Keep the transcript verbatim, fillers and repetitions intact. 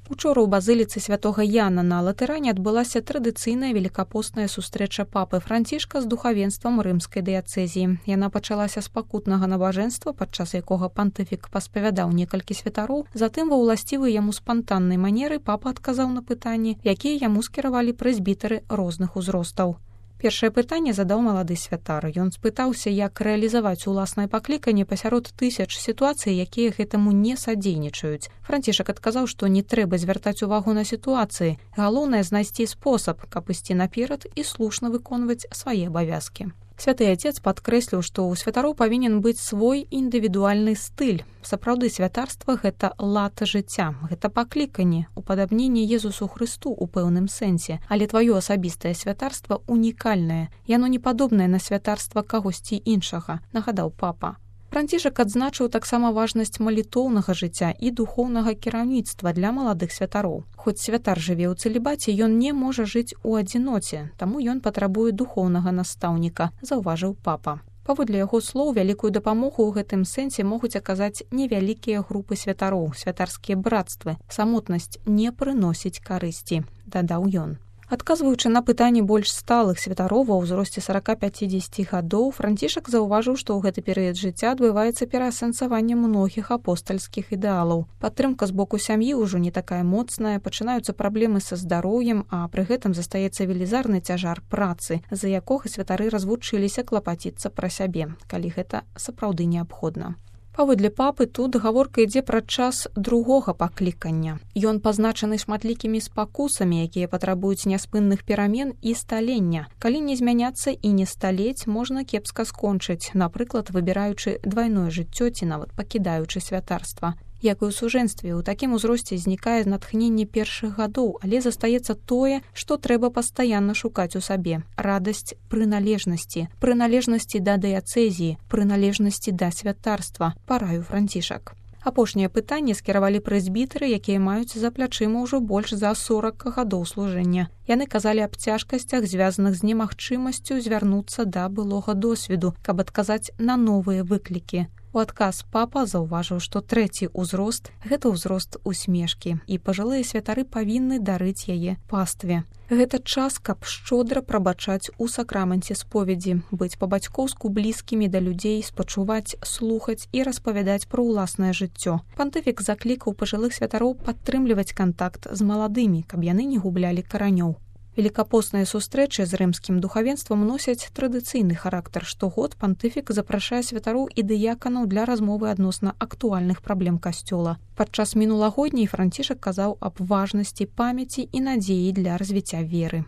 Учора ў базыліцы святога Яна на Латэране адбылася традыцыйная велікапостная сустрэча папы Францішка з духавенствам рымскай дыяцэзіі. Яна пачалася з пакутнага набажэнства, падчас якога пантыфік паспавядаў некалькі святароў, затым ва ўласцівай яму спантаннай манеры папа адказаў на пытанні, якія яму скіравалі прэзбітары розных узростаў. Першае пытанне задаў малады святар. Ён спытаўся, як рэалізаваць уласнае пакліканне пасярод тысяч сітуацый, якія гэтаму не садзейнічаюць. Францішак адказаў, што не трэба звяртаць увагу на сітуацыі. Галоўнае знайсці спосаб, каб ісці наперад і слушна выконваць свае абавязкі. Святы Отец падкрэсліў, што ў святароў павінен быць свой індывідуальны стыль. Сапраўды святарства – гэта лад жыцця, гэта пакліканне, упадабненне Езусу Хрысту ў пэўным сэнсе, але тваё асабістае святарства унікальнае, яно не падобнае на святарства кагосьці іншага, нагадаў папа. Францішак адзначыў таксама важнасць малітоўнага жыцця і духоўнага кіраўніцтва для маладых святароў. Хоць святар жыве ў цэлібаце, ён не можа жыць у адзіноце, таму ён патрабуе духоўнага настаўніка, заўважыў папа. Паводле яго слоў, вялікую дапамогу ў гэтым сэнсе могуць аказаць невялікія групы святароў, святарскія брацтвы. Самотнасць не прыносіць карысці, дадаў ён. Адказваючы на пытанні больш сталых святароў ва ўзросце сорок-пяцьдзесят гадоў, Францішак заўважыў, што ў гэты перыяд жыцця адбываецца пераасэнсаванне многіх апостальскіх ідэалаў. Падтрымка з боку сям'і ўжо не такая моцная, пачынаюцца праблемы са здароўем, а пры гэтым застаецца велізарны цяжар працы, з-за якога святары развучыліся клапаціцца пра сябе, калі гэта сапраўды неабходна. Паводле папы, тут гаворка ідзе пра час другога паклікання. Ён пазначаны шматлікімі спакусамі, якія патрабуюць няспынных перамен і сталення. Калі не змяняцца і не сталець, можна кепска скончыць, напрыклад, выбіраючы двайное жыццё ці нават пакідаючы святарства. Як і ў сужэнстве, у такім узросце знікае натхненне першых гадоў, але застаецца тое, што трэба пастаянна шукаць у сабе. Радасць прыналежнасці, прыналежнасці да дыяцэзіі, прыналежнасці да святарства, параіў Францішак. Апошняе пытанне скіравалі прэзбітары, якія маюць за плячыма ўжо больш за сорок гадоў служэння. Яны казалі аб цяжкасцях, звязаных з немагчымасцю звярнуцца да былога досведу, каб адказаць на новыя выклікі. У адказ папа заўважыў, што трэці ўзрост – гэта ўзрост усмешкі, і пажылыя святары павінны дарыць яе пастве. Гэта час, каб шчодра прабачаць у сакрамэнце споведзі, быць па-бацькоўску блізкімі да людзей, спачуваць, слухаць і распавядаць пра ўласнае жыццё. Пантыфік заклікаў пажылых святароў падтрымліваць кантакт з маладымі, каб яны не гублялі каранёў. Велікапосныя сустрэчы з рымскім духавенствам носяць традыцыйны характар. Штогод пантыфік запрашае святароў і дыяканаў для размовы адносна актуальных праблем касцёла. Падчас мінулагодняй Францішак казаў аб важнасці памяці і надзеі для развіцця веры.